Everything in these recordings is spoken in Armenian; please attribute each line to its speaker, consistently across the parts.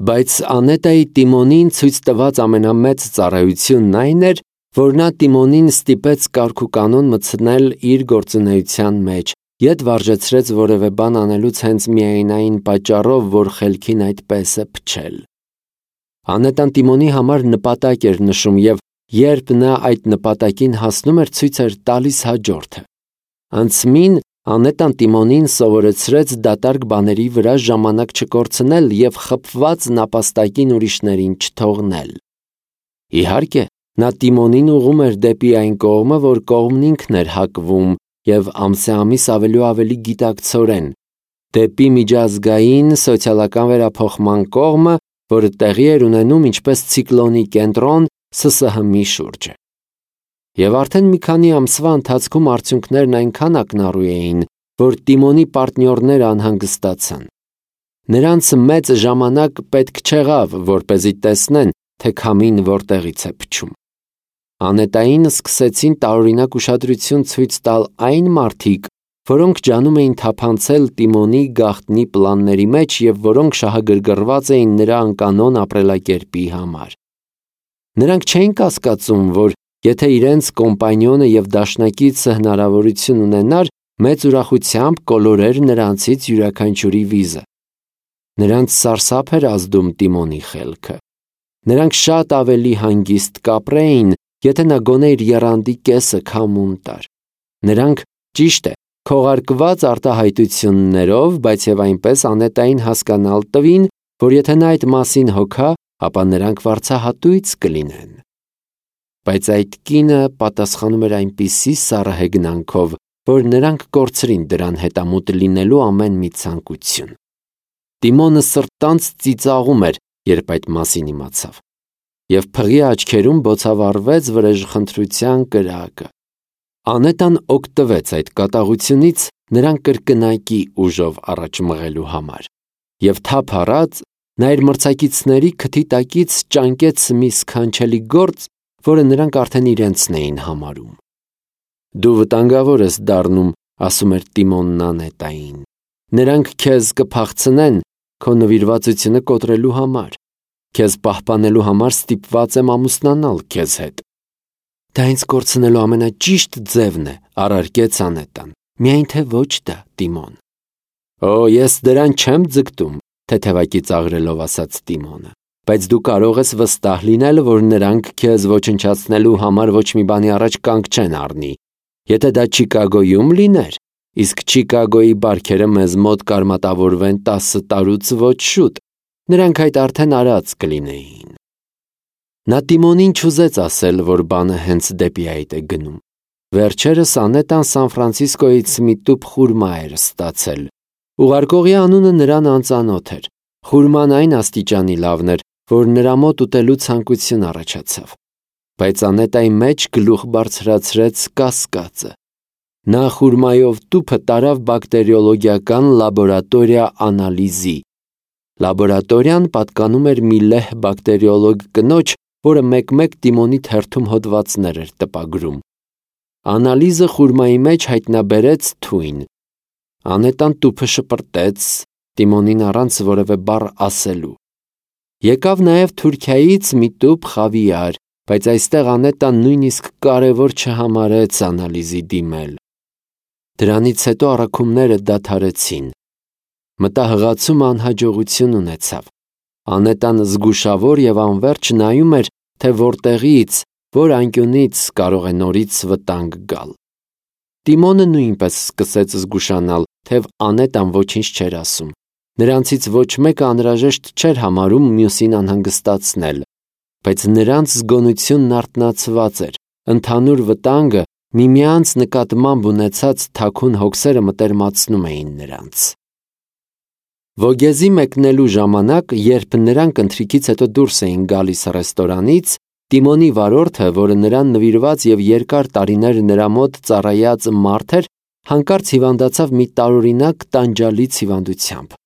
Speaker 1: Բայց Անետայի Տիմոնին ցույց տված ամենամեծ ծառայությունն այն էր, որ նա Տիմոնին ստիպեց կարգուկանոն մտցնել իր գործունեության մեջ, ետ վարժեցրեց որևէ բան անելուց հենց միայն այն պատճառով, որ խելքին այդպես է փչել։ Անետան Տիմոնի համար նպատակ էր նշում և երբ նա այդ նպատակին հասնում էր, ցույց էր տալիս հաջորդը։ Անցմին Անետան Տիմոնին սովորեցրեց դատարկ բաների վրա ժամանակ չկորցնել և խփված նապաստակին ուրիշներին չթողնել։ Իհարկե, նա Տիմոնին ուղղում էր դեպի այն կողմը, որ կողմն ինքն էր հակվում և ամսամիս ավելի ու ավելի գիտակցորեն, դեպի միջազգային սոցիալական վերափոխման կողմը, որը տեղի էր ունենում ինչպես ցիկլոնի կենտրոն ՍՍՀՄ-ի շուրջը։ Եվ արդեն մի քանի ամսվա ընթացքում արդյունքներն այնքան ակնառու էին, որ Տիմոնի պարտնյորները անհանգստացան։ Նրանց մեծ ժամանակ պետք չեղավ, որպեսզի տեսնեն, թե քամին որտեղից է փչում։ Անետային սկսեցին տարօրինակ ուշադրություն ցույց տալ այն մարդիկ, որոնք ջանում էին թափանցել Տիմոնի գաղտնի պլանների մեջ և որոնք շահագրգռված էին նրա անկանոն ապրելակերպի համար։ Նրանք չէին կասկածում, որ եթե իրենց կոմպանյոնը և դաշնակիցը հնարավորություն ունենար, մեծ ուրախությամբ կոլորեր նրանցից յուրաքանչյուրի վիզը։ Նրանց սարսափ էր ազդում Տիմոնի խելքը։ Նրանք շատ ավելի հանգիստ կապրեին, եթե նա գոնե իր եռանդի կեսը քամուն տար։ Նրանք, ճիշտ է, քողարկված արտահայտություններով, բայց և այնպես Անետային հասկանալ տվին, որ եթե նա այդ մասին հոգա, ապա նրանք վարձահատույց կլինեն։ Բայց այդ կինը պատասխանում էր այնպիսի սառը հեգնանքով, որ նրանք կորցրին դրան հետամուտ լինելու ամեն մի ցանկություն։ Տիմոնը սրտանց ծիծաղում էր, երբ այդ մասին իմացավ, և փղի աչքերում բոցավառվեց վրեժխնդրության կրակը։ Անետան օգտվեց այդ կատաղությունից նրան կրկնակի ուժով առաջ մղելու համար, և թափ առած նա իր մրցակիցների քթի տակից ճանկեց մի սքանչելի գործ, որը նրանք արդեն իրենցն էին համարում։ «Դու վտանգավոր ես դառնում», ասում էր Տիմոնն Անետային։ «Նրանք քեզ կփախցնեն քո նվիրվածությունը կոտրելու համար։ Քեզ պահպանելու համար ստիպված եմ ամուսնանալ քեզ հետ»։ «Դա ինձ կորցնելու ամենաճիշտ ձևն է», առարկեց Անետան։ «Միայն թե ոչ դա, Տիմոն»։ «Օ, ես դրան չեմ ձգտում», թեթևակի ծաղրելով ասաց Տիմոնը։ «Բայց դու կարող ես վստահ լինել, որ նրանք քեզ ոչնչացնելու համար ոչ մի բանի առաջ կանգ չեն առնի։ Եթե դա Չիկագոյում լիներ, իսկ Չիկագոյի բարքերը մեզ մոտ կարմատավորվեն 10 տարուց ոչ շուտ, նրանք այդ արդեն արած կլինեին»։ Նա Տիմոնին չուզեց ասել, որ բանը հենց դեպի այդ է գնում։ Վերջերս Անետան Սան Ֆրանցիսկոյից մի տուփ խուրմա էր ստացել։ Ուղարկողի անունը նրան անծանոթ էր։ Խուրման այն աստիճանի լավն էր, որ նրա մոտ ուտելու ցանկություն առաջացավ։ Բայց Անետայի մեջ գլուխ բարձրացրեց կասկածը։ Նա խուրմայով տուփը տարավ բակտերիոլոգիական լաբորատորիա անալիզի։ Լաբորատորիան պատկանում էր մի լեհ բակտերիոլոգ կնոջ, որը մեկ-մեկ Տիմոնի թերթում հոդվածներ էր տպագրում։ Անալիզը խուրմայի մեջ հայտնաբերեց թույն։ Անետան տուփը շպրտեց, Տիմոնին առանց որևէ բառ ասելու։ Եկավ նաև Թուրքիայից մի տուփ խավիար, բայց այստեղ Անետան նույնիսկ կարևոր չհամարեց անալիզի դիմել։ Դրանից հետո առաքումները դադարեցին։ Մտահղացումը անհաջողություն ունեցավ։ Անետան զգուշավոր և անվերջ նայում էր, թե որտեղից, որ անկյունից կարող է նորից վտանգ գալ։ Տիմոնը նույնպես սկսեց զգուշանալ, թեև Անետան ոչինչ չէր ասում։ Նրանցից ոչ մեկը անհրաժեշտ չէր համարում մյուսին անհանգստացնել, բայց նրանց զգոնությունն արթնացված էր, ընդհանուր վտանգը միմյանց նկատմամբ ունեցած թաքուն հոգսերը մտերմացնում էին նրանց։ Վոգեզի մեկնելու ժամանակ, երբ նրանք ընթրիքից հետո դուրս էին գալիս ռեստորանից, Տիմոնի վարորդը, որը նրան նվիրված և երկար տարիներ նրա մոտ ծառայած մարդ էր, հանկարծ հիվանդացավ մի տարօրինակ տանջալից հիվանդությամբ։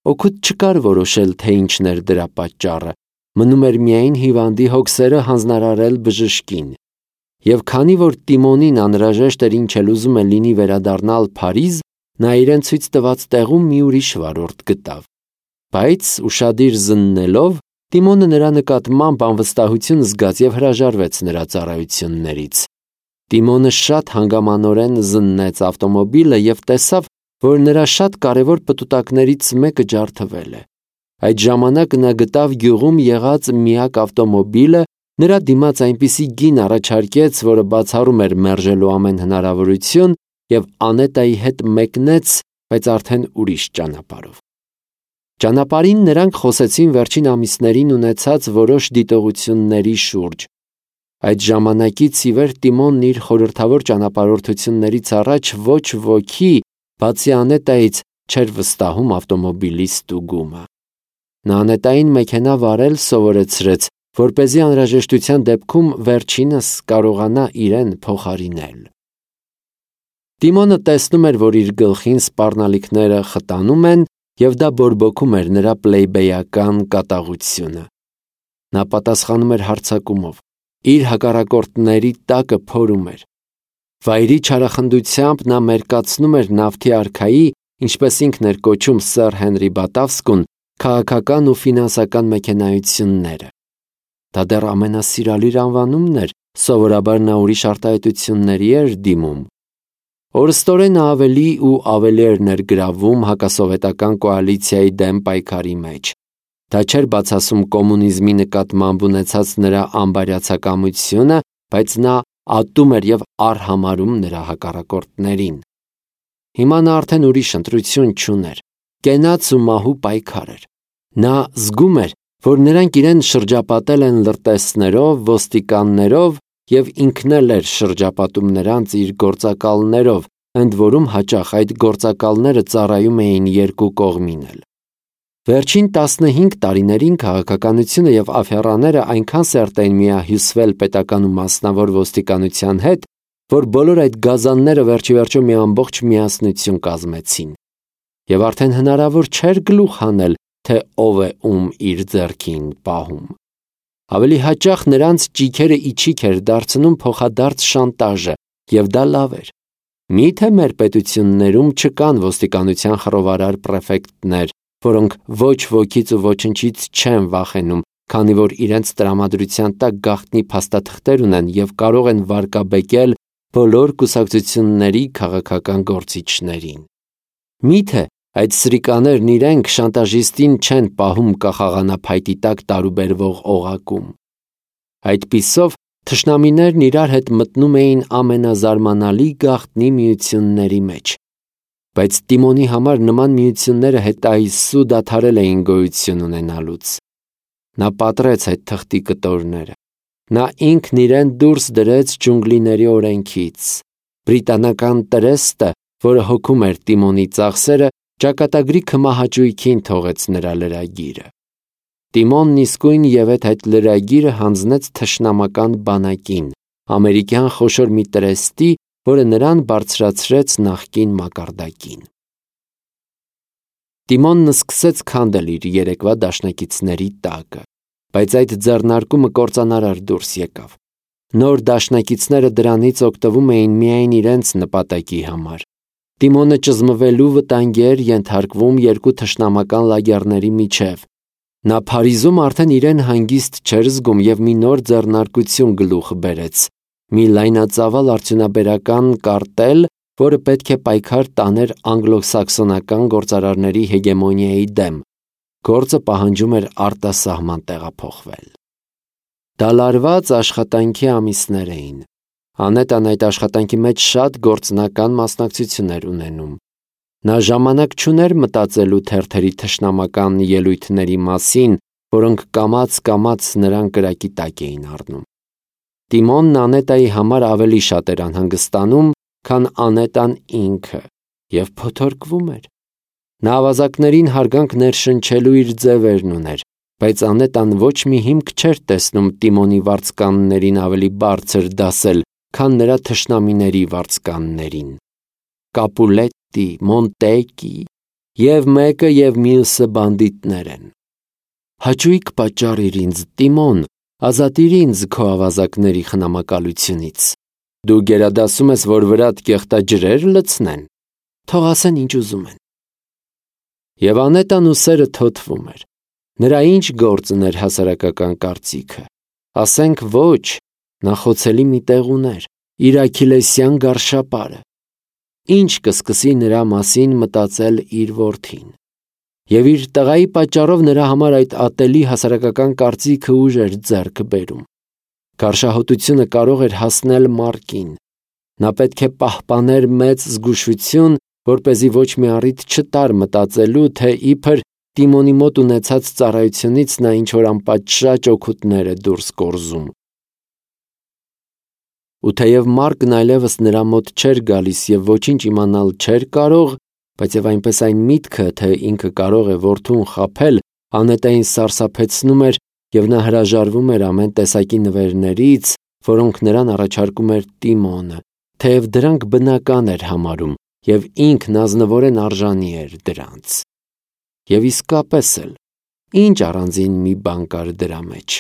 Speaker 1: Օգուտ չկար որոշել, թե ինչն էր դրա պատճառը, մնում էր միայն հիվանդի հոգսերը հանձնարարել բժշկին։ Եվ քանի որ Տիմոնին անհրաժեշտ էր ինչ էլ ուզում է լինի վերադառնալ Փարիզ, նա իրեն ցույց տված տեղում մի ուրիշ վարորդ գտավ։ Բայց ուշադիր զննելով, Տիմոնը նրա նկատմամբ անվստահություն զգաց և հրաժարվեց նրա ծառայություններից։ Տիմոնը շատ հանգամանորեն զննեց ավտոմոբիլը և տեսավ, որ նրա շատ կարևոր պտուտակներից մեկը ջարդվել է։ Այդ ժամանակ նա գտավ գյուղում եղած միակ ավտոմոբիլը, նրա դիմաց այնպիսի գին առաջարկեց, որը բացառում էր մերժելու ամեն հնարավորություն, և Անետայի հետ մեկնեց, բայց արդեն ուրիշ ճանապարհով։ Ճանապարհին նրանք խոսեցին վերջին ամիսներին ունեցած որոշ դիտողությունների շուրջ։ Այդ ժամանակից ի վեր Տիմոնն իր խորհրդավոր ճանապարհորդություններից առաջ ոչ ոքի, բացի Անետայից, չէր վստահում ավտոմոբիլի ստուգումը։ Նա Անետային մեքենա վարել սովորեցրեց, որպեսզի անհրաժեշտության դեպքում վերջինս կարողանա իրեն փոխարինել։ Տիմոնը տեսնում էր, որ իր գլխին սպառնալիքները խտանում են, և դա բորբոքում էր նրա պլեյբեյական կատաղությունը։ Նա պատասխանում էր հարձակումով, իր հակառակորդների տակը փորում էր։ Վայրի չարախնդությամբ նա մերկացնում էր նավթի արքայի, ինչպես ինքն էր կոչում սըր Հենրի Բատավսկուն, քաղաքական ու ֆինանսական մեքենայությունները։ Դա դեռ ամենասիրալիր անվանումն էր, սովորաբար նա ուրիշ արտահայտությունների էր դիմում։ Օրստորեն ավելի ու ավելի էր ներգրավում հակասովետական կոալիցիայի դեմ պայքարի մեջ։ Դա չէր բացասում կոմունիզմի նկատմամբ ունեցած նրա անբարյացակամությունը, բայց նա ատում էր և արհամարհում նրա հակառակորդներին։ Հիմա նա արդեն ուրիշ ընտրություն չուներ, կենաց ու մահու պայքար էր։ Նա զգում էր, որ նրանք իրեն շրջապատել են լրտեսներով, ոստիկաններով, և ինքն էլ էր շրջապատում նրանց իր գործակալներով, ընդ որում հաճախ այդ գործակալները ծառայում էին երկու կողմին էլ։ Վերջին 15 տարիներին քաղաքականությունը և աֆեռաները այնքան սերտ էին միահյուսվել պետական ու մասնավոր ոստիկանության հետ, որ բոլոր այդ գազանները վերջիվերջո մի ամբողջ միասնություն կազմեցին։ Եվ արդեն հնարավոր չէր գլուխ հանել, թե ով է ում իր ձեռքին պահում։ Ավելի հաճախ նրանց ճիգերը իջիկ էր դարձնում փոխադարձ շանտաժը, և դա լավ էր։ Մի՞թե մեր պետություններում չկան ոստիկանության խռովարար պրեֆեկտներ, որոնք ոչ ոքից ու ոչնչից չեն վախենում, քանի որ իրենց տրամադրության տակ գաղտնի փաստաթղթեր ունեն և կարող են վարկաբեկել բոլոր կուսակցությունների քաղաքական գործիչներին։ Մի՞թե այդ սրիկաներն իրենք շանտաժիստին չեն պահում կախաղանափայտի տակ տարուբերվող օղակում։ Այդպիսով թշնամիներն իրար հետ մտնում էին ամենազարմանալի գաղտնի միությունների մեջ։ Բայց Տիմոնի համար նման միությունները հետայսու դադարել էին գոյություն ունենալուց։ Նա պատռեց այդ թղթի կտորները։ Նա ինքն իրեն դուրս դրեց ջունգլիների օրենքից։ Բրիտանական տրեստը, որը հոգում էր Տիմոնի ծախսերը, ճակատագրի քմահաճույքին թողեց նրա լրագիրը։ Տիմոնն իսկույն ևեթ այդ լրագիրը հանձնեց թշնամական բանակին, ամերիկյան խոշոր մի տրեստի, որը նրան բարձրացրեց նախկին մակարդակին։ Տիմոնն սկսեց քանդել իր երեկվա դաշնակիցների տակը, բայց այդ ձեռնարկումը կործանարար դուրս եկավ։ Նոր դաշնակիցները դրանից օգտվում էին միայն իրենց նպատակի համար։ Տիմոնը ճզմվելու վտանգի էր ենթարկվում երկու թշնամական լագերների միջև։ Նա Փարիզում արդեն իրեն հանգիստ չէր զգում և մի նոր ձեռնարկություն գլուխ բերեց՝ մի լայնածավալ արդյունաբերական կարտել, որը պետք է պայքար տաներ անգլո-սաքսոնական գործարարների հեգեմոնիայի դեմ։ Գործը պահանջում էր արտասահման տեղափոխվել։ Դալարված աշխատանքի ամիսներ էին։ Անետան այդ աշխատանքի մեջ շատ գործնական մասնակցություն էր ունենում։ Նա ժամանակ չուներ մտածելու թերթերի թշնամական ելույթների մասին, որոնք կամաց-կամաց նրան կրակի տակ էին առնում։ Տիմոնն Անետայի համար ավելի շատ էր անհանգստանում, քան Անետան ինքը, և փոթորկվում էր։ Նա ավազակներին հարգանք ներշնչելու իր ձևերն ուներ, բայց Անետան ոչ մի հիմք չէր տեսնում Տիմոնի վարձկաններին ավելի բարձր դասել, քան նրա թշնամիների վարձկաններին։ Կապուլետտի, Մոնտեկի, և մեկը և մյուսը բանդիտներ են։ Հաճույք պատճառիր ինձ, Տիմոն, ազատիր ինձ քո ավազակների խնամակալությունից։ Դու գերադասում ես, որ վրադ կեղտաջրեր լցնեն։ Թող ասեն ինչ ուզում են։ Եվ անետան ուսերը թոթվում էր։ Նրա ինչ գործն էր հասարակական կարծիքը։ Ասենք ոչ, նա խոցելի մի տեղ ուներ, իր աքիլեսյան գարշապարը։ Ինչ կսկսի նրա մասին մտածել իր որդին։ Եվ իր տղայի պատճառով նրա համար այդ ատելի հասարակական կարծիքը ուժ էր ձեռք բերում։ Գարշահոտությունը կարող էր հասնել մարկին։ Նա պետք է պահպաներ մեծ զգուշություն, որպեսզի ոչ մի առիթ չտար մտածելու, թե իբր Տիմոնի մոտ ունեցած ծառայությունից նա ինչ-որ անպատշաճ օգուտներ է դուրս կորզում։ Ու թեև Մարկն այլևս նրա մոտ չէր գալիս և ոչինչ իմանալ չէր կարող, բայց և այնպես այն միտքը, թե ինքը կարող է որդուն խաբել, Անետային սարսափեցնում էր, և նա հրաժարվում էր ամեն տեսակի նվերներից, որոնք նրան առաջարկում էր Տիմոնը, թեև դրանք բնական էր համարում, և ինքն ազնվորեն արժանի էր դրանց։ Եվ իսկապես էլ, ինչ առանձին մի բան կար դրա մեջ։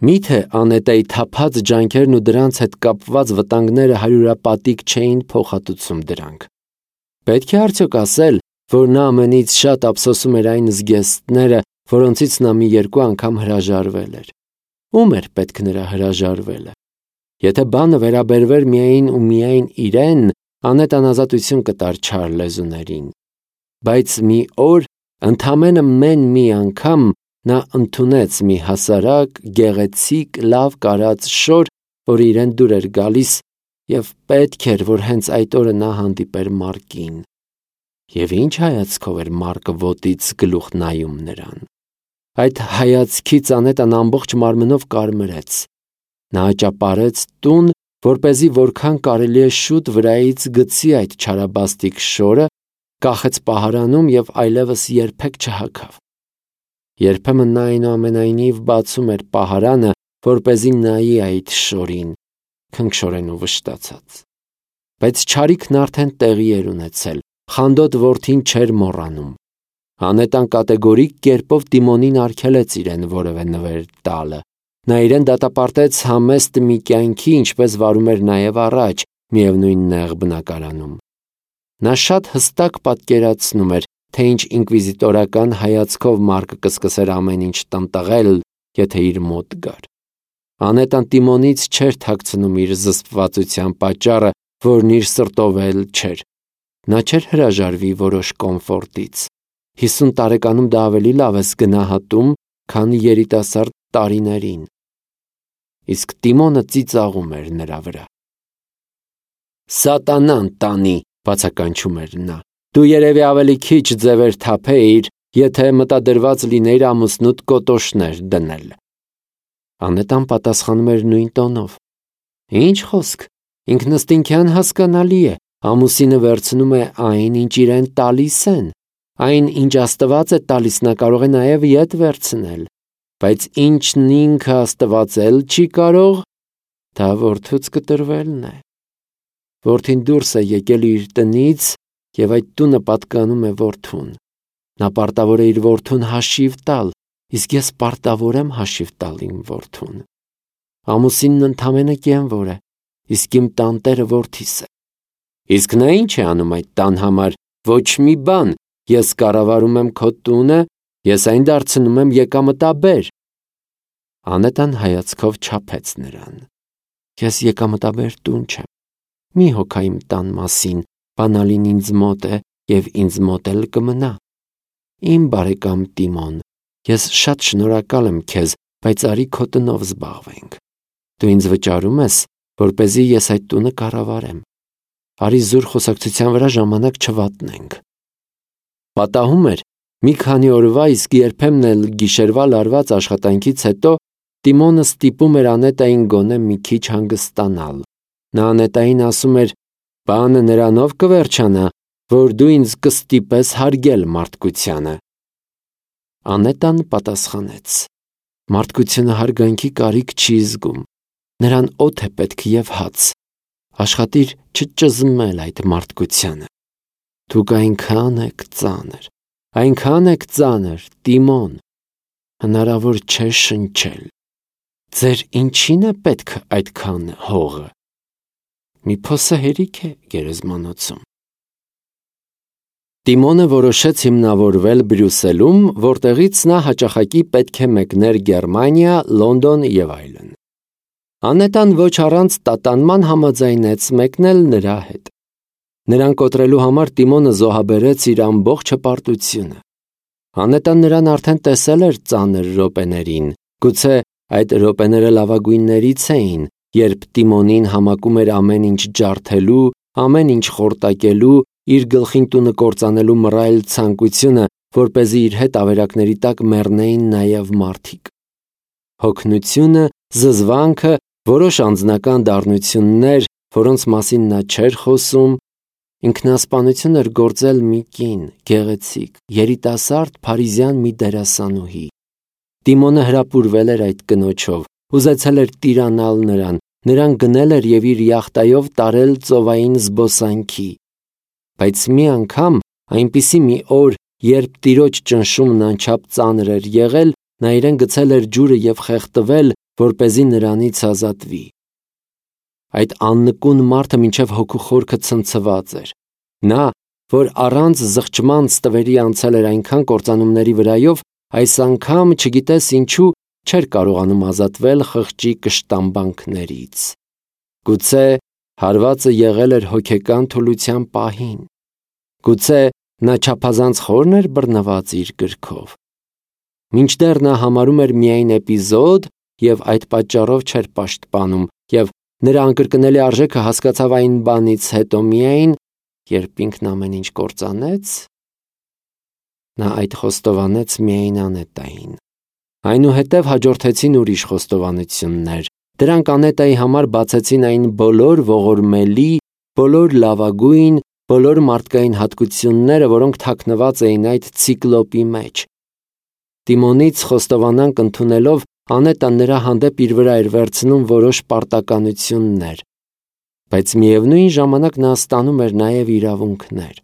Speaker 1: Միթե Անետայի թափած ջանքերն ու դրանց հետ կապված վտանգները հարյուրապատիկ չէին փոխհատուցում դրանք։ Պետք է արդյոք ասել, որ նա ամենից շատ ափսոսում էր այն զգեստները, որոնցից նա մի երկու անգամ հրաժարվել էր։ Ում էր պետք նրա հրաժարվելը։ Եթե բանը վերաբերվեր միայն ու միայն իրեն, Անետան ազատություն կտար չար լեզուներին։ Բայց մի օր, ընդամենը մի անգամ, նա ընդունեց մի հասարակ, գեղեցիկ, լավ կարած շոր, որ իրեն դուր էր գալիս, և պետք էր, որ հենց այդ օրը նա հանդիպեր Մարկին։ Եվ ինչ հայացքով էր Մարկը ոտից գլուխ նայում նրան։ Այդ հայացքից Անետան ամբողջ մարմնով կարմրեց։ Նա ճապարեց տուն, որպեսզի որքան կարելի է շուտ վրայից գցի այդ չարաբաստիկ շորը, կախեց պահարանում և այլևս երբեք չհագավ։ Երբեմն նա այնուամենայնիվ բացում էր պահարանը, որպեսզի նայի այդ շորին, քնքշորեն ու վշտացած։ Բայց չարիքն արդեն տեղի էր ունեցել, խանդոտ որդին չէր մոռանում։ Անետան կատեգորիկ կերպով Տիմոնին արգելեց իրեն որևէ նվեր տալը։ Նա իրեն դատապարտեց համեստ մի կյանքի, ինչպես վարում էր նաև առաջ, միևնույն նեղ բնակարանում։ Նա շատ հստակ պատկերացնում էր, թե ինչ ինկվիզիտորական հայացքով Մարկը կսկսեր ամեն ինչ տնտղել, եթե իր մոտ գար։ Անետան Տիմոնից չէր թաքցնում իր զսպվածության պատճառը, որն իր սրտով էլ չէր։ Նա չէր հրաժարվի որոշ կոմֆորտից։ 50 տարեկանում դա ավելի լավ ես գնահատում, քան երիտասարդ տարիներին։ Իսկ Տիմոնը ծիծաղում էր նրա վրա։ Սատանան տանի, բացականչում էր նա։ Դու երևի ավելի քիչ ձևեր թափեիր, եթե մտադրված լինեիր ամուսնուդ կոտոշներ դնել։ Անետան պատասխանում էր նույն տոնով։ Ինչ խոսք, ինքնըստինքյան հասկանալի է, ամուսինը վերցնում է այն, ինչ իրեն տալիս են։ Այն, ինչ Աստված է տալիս, նա կարող է նաև ետ վերցնել, բայց ինչն ինքը աստվածել չի կարող, դա որդուց կտրվելն է։ Որդին դուրս է եկել իր տնից, և այդ տունը պատկանում է որդուն։ Նա պարտավոր է իր որդուն հաշիվ տալ, իսկ ես պարտավոր եմ հաշիվ տալ իմ որդուն։ Ամուսինն ընդամենը կենվոր է, իսկ իմ տանտերը որդիս է։ Իսկ նա ինչ է անում այդ տան համար, ոչ մի բան, ես կառավարում եմ քո տունը, ես այն դարձնում եմ եկամտաբեր։ Անետան հայացքով չափեց նրան։ Ես եկամտաբեր տուն չեմ։ Մի հոգա իմ տան մասին, բանալին ինձ մոտ է և ինձ մոտ էլ կմնա։ Իմ բարեկամ Տիմոն, ես շատ շնորհակալ եմ քեզ, բայց արի քո տնով զբաղվենք։ Դու ինձ վճարում ես, որպեսզի ես այդ տունը կառավարեմ։ Արի զուր խոսակցության վրա ժամանակ չվատնենք։ Պատահում էր, մի քանի օրվա, իսկ երբեմն էլ գիշերվա լարված աշխատանքից հետո Տիմոնը ստիպում էր Անետային գոնե մի քիչ հանգստանալ։ Նա Անետային ասում էր. «Բանը նրանով կվերջանա, որ դու ինձ կստիպես հարգել մարդկությանը»։ Անետան պատասխանեց. «Մարդկությունը հարգանքի կարիք չի զգում։ Նրան օդ է պետք և հաց։ Աշխատիր չճզմել այդ մարդկությանը։ Դուք այնքան եք ծանր, Տիմոն, հնարավոր չէ շնչել։ Ձեր ինչին է պետք այդքան հողը։ Մի փոսը հերիք է գերեզմանոցում»։ Տիմոնը որոշեց հիմնավորվել Բրյուսելում, որտեղից նա հաճախակի պետք է մեկներ Գերմանիա, Լոնդոն եւ այլն։ Անետան ոչ առանց տատանման համաձայնեց մեկնել նրա հետ։ Նրան կոտրելու համար Տիմոնը զոհաբերեց իր ամբողջ հպարտությունը։ Անետան նրան արդեն տեսել էր ծանր րոպեներին, գուցե այդ րոպեները լավագույններից էին, երբ Տիմոնին համակում էր ամեն ինչ ջարդելու, ամեն ինչ խորտակելու, իր գլխին տունը կործանելու մռայլ ցանկությունը, որպեսզի իր հետ ավերակների տակ մեռնեին նաև մարդիկ։ Հոգնությունը, զզվանքը, որոշ անձնական դառնություններ, որոնց մասին նա չէր խոսում, ինքնասպանություն էր գործել մի կին, գեղեցիկ, երիտասարդ փարիզյան մի դերասանուհի։ Տիմոնը հրապուրվել էր այդ կնոջով, ուզեցել էր տիրանալ նրան գնել էր եւ իր յախտայով տարել ծովային զբոսանքի։ Բայց մի անգամ, այնպիսի մի օր, երբ տիրոջ ճնշումն անչափ ծանր էր եղել, նա իրեն գցել էր ջուրը եւ խեղդվել, որպեսզի նրանից ազատվի։ Այդ աննկուն մարդը մինչև հոգու խորքը ցնցված էր։ Նա, որ առանց զղջման ստվերի անցել էր այնքան կործանումների վրայով, այս անգամ, չգիտես ինչու, չէր կարողանում ազատվել խղճի կշտամբանքներից։ Գուցե հարվածը եղել էր հոգեկան թուլության պահին։ Գուցե նա չափազանց խորն էր բռնված իր գրքով։ Մինչդեռ նա համարում էր միայն էպիզոդ եւ այդ պատճառով չէր պաշտպանում, եւ նրա անկրկնելի արժեքը հասկացավ այն բանից հետո միայն, երբ ինքն ամեն ինչ կործանեց։ Նա այդ խոստովանեց միայն Անետային։ Այնուհետև հաջորդեցին ուրիշ խոստովանություններ։ Դրանք Անետայի համար բացեցին այն բոլոր ողորմելի, բոլոր լավագույն, բոլոր մարդկային հատկությունները, որոնք թաքնված էին այդ ցիկլոպի մեջ։ Տիմոնից խոստովանանք ընդունելով Անետան նրա հանդեպ իր վրա էր վերցնում որոշ պարտականություններ, բայց միևնույն ժամանակ նա ստանում էր նաև իրավունքներ։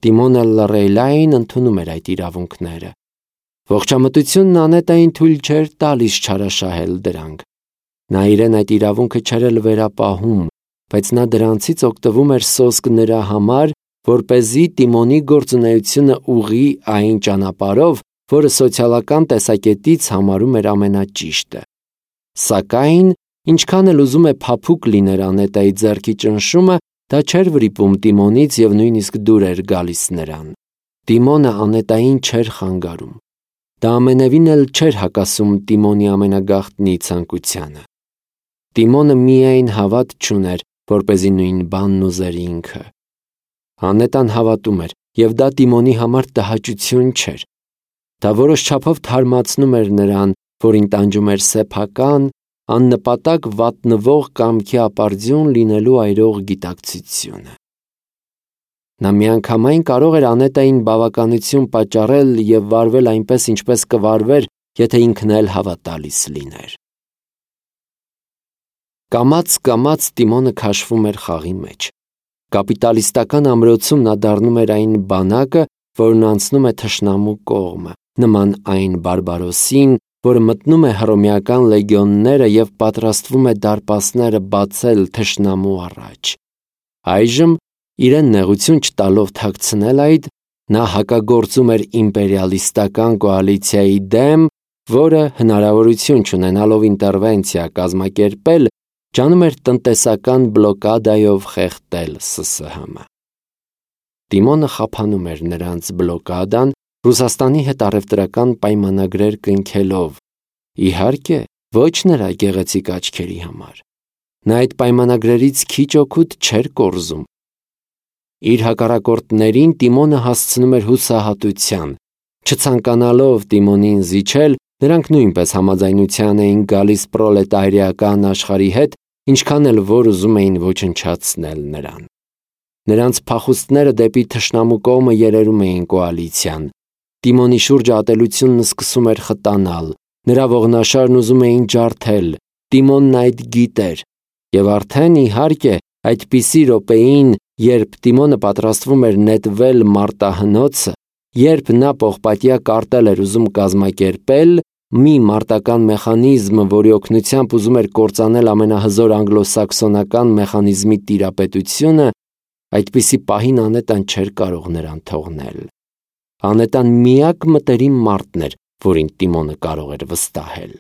Speaker 1: Տիմոնը լռելային ընդունում էր այդ իրավունքները։ Ողջամտությունն Անետային թույլ չէր տալիս չարաշահել դրանք։ Նա իրեն այդ իրավունքը չէր էլ վերապահում, բայց նա դրանցից օգտվում էր սոսկ նրա համար, որպեսզի Տիմոնի գործունեությունը ուղղի այն ճանապարհով, որը սոցիալական տեսակետից համարում էր ամենաճիշտը։ Սակայն, ինչքան էլ ուզում է փափուկ լիներ Անետայի ձեռքի ճնշումը, դա չէր վրիպում Տիմոնից եւ նույնիսկ դուր էր գալիս նրան։ Տիմոնը Անետային չէր խանգարում։ Դա ամենևին էլ չէր հակասում Տիմոնի ամենագաղտնի ցանկությանը։ Տիմոնը միայն հավատ չուներ, որպեսզի նույն բանն ուզեր ինքը։ Անետան հավատում էր, եւ դա Տիմոնի համար տհաճություն չէր։ Դա որոշ չափով թարմացնում էր նրան, որին տանջում էր սեփական, աննպատակ վատնվող կամքի ապարդյուն լինելու այրող գիտակցությունը։ Նա միանգամայն կարող էր Անետային բավականություն պատճառել եւ վարվել այնպես, ինչպես կվարվեր, եթե ինքն էլ հավատալից լիներ։ Կամաց Տիմոնը քաշվում էր խաղի մեջ։ Կապիտալիստական ամրոցում նա դառնում էր այն բանակը, որն անցնում է թշնամու կողմը, նման այն բարբարոսին, որը մտնում է հռոմեական լեգիոնները եւ պատրաստվում է դարպասները բացել թշնամու առաջ։ Այժմ, իրեն նեղություն չտալով թաքցնել այդ, նա հակագործում էր իմպերիալիստական կոալիցիայի դեմ, որը հնարավորություն չունենալով ինտերվենցիա կազմակերպել, ջանում էր տնտեսական բլոկադայով խեղդել ՍՍՀՄ։ Տիմոնը խափանում էր նրանց բլոկադան, Ռուսաստանի հետ առևտրական պայմանագրեր կնքելով, իհարկե, ոչ նրա գեղեցիկ աչքերի համար։ Նա այդ պայմանագրերից քիչ օգուտ չէր կորզում։ Իր հակառակորդներին Տիմոնը հասցնում էր հուսահատության։ Չցանկանալով Տիմոնին զիջել, նրանք նույնպես համաձայնության էին գալիս պրոլետարիական աշխարհի հետ, ինչքան էլ որ ուզում էին ոչնչացնել նրան։ Նրանց փախուստները դեպի թշնամու կողմը երերում էին կոալիցիան։ Տիմոնի շուրջը ատելությունն սկսում էր խտանալ, նրա ողնաշարն ուզում էին ջարդել, Տիմոնն այդ գիտեր, եւ արդեն իհարկե այդպիսի րոպեին, երբ Տիմոնը պատրաստվում էր նետվել մարտահնոցը, երբ նա պողպատյա կարտել էր ուզում կազմակերպել, մի մարտական մեխանիզմ, որի օգնությամբ ուզում էր կործանել ամենահզոր անգլոսաքսոնական մեխանիզմի տիրապետությունը, Այդպիսի պահին Անետան չէր կարող նրան թողնել։ Անետան միակ մտերիմ մարդն էր, որին Տիմոնը կարող էր վստահել։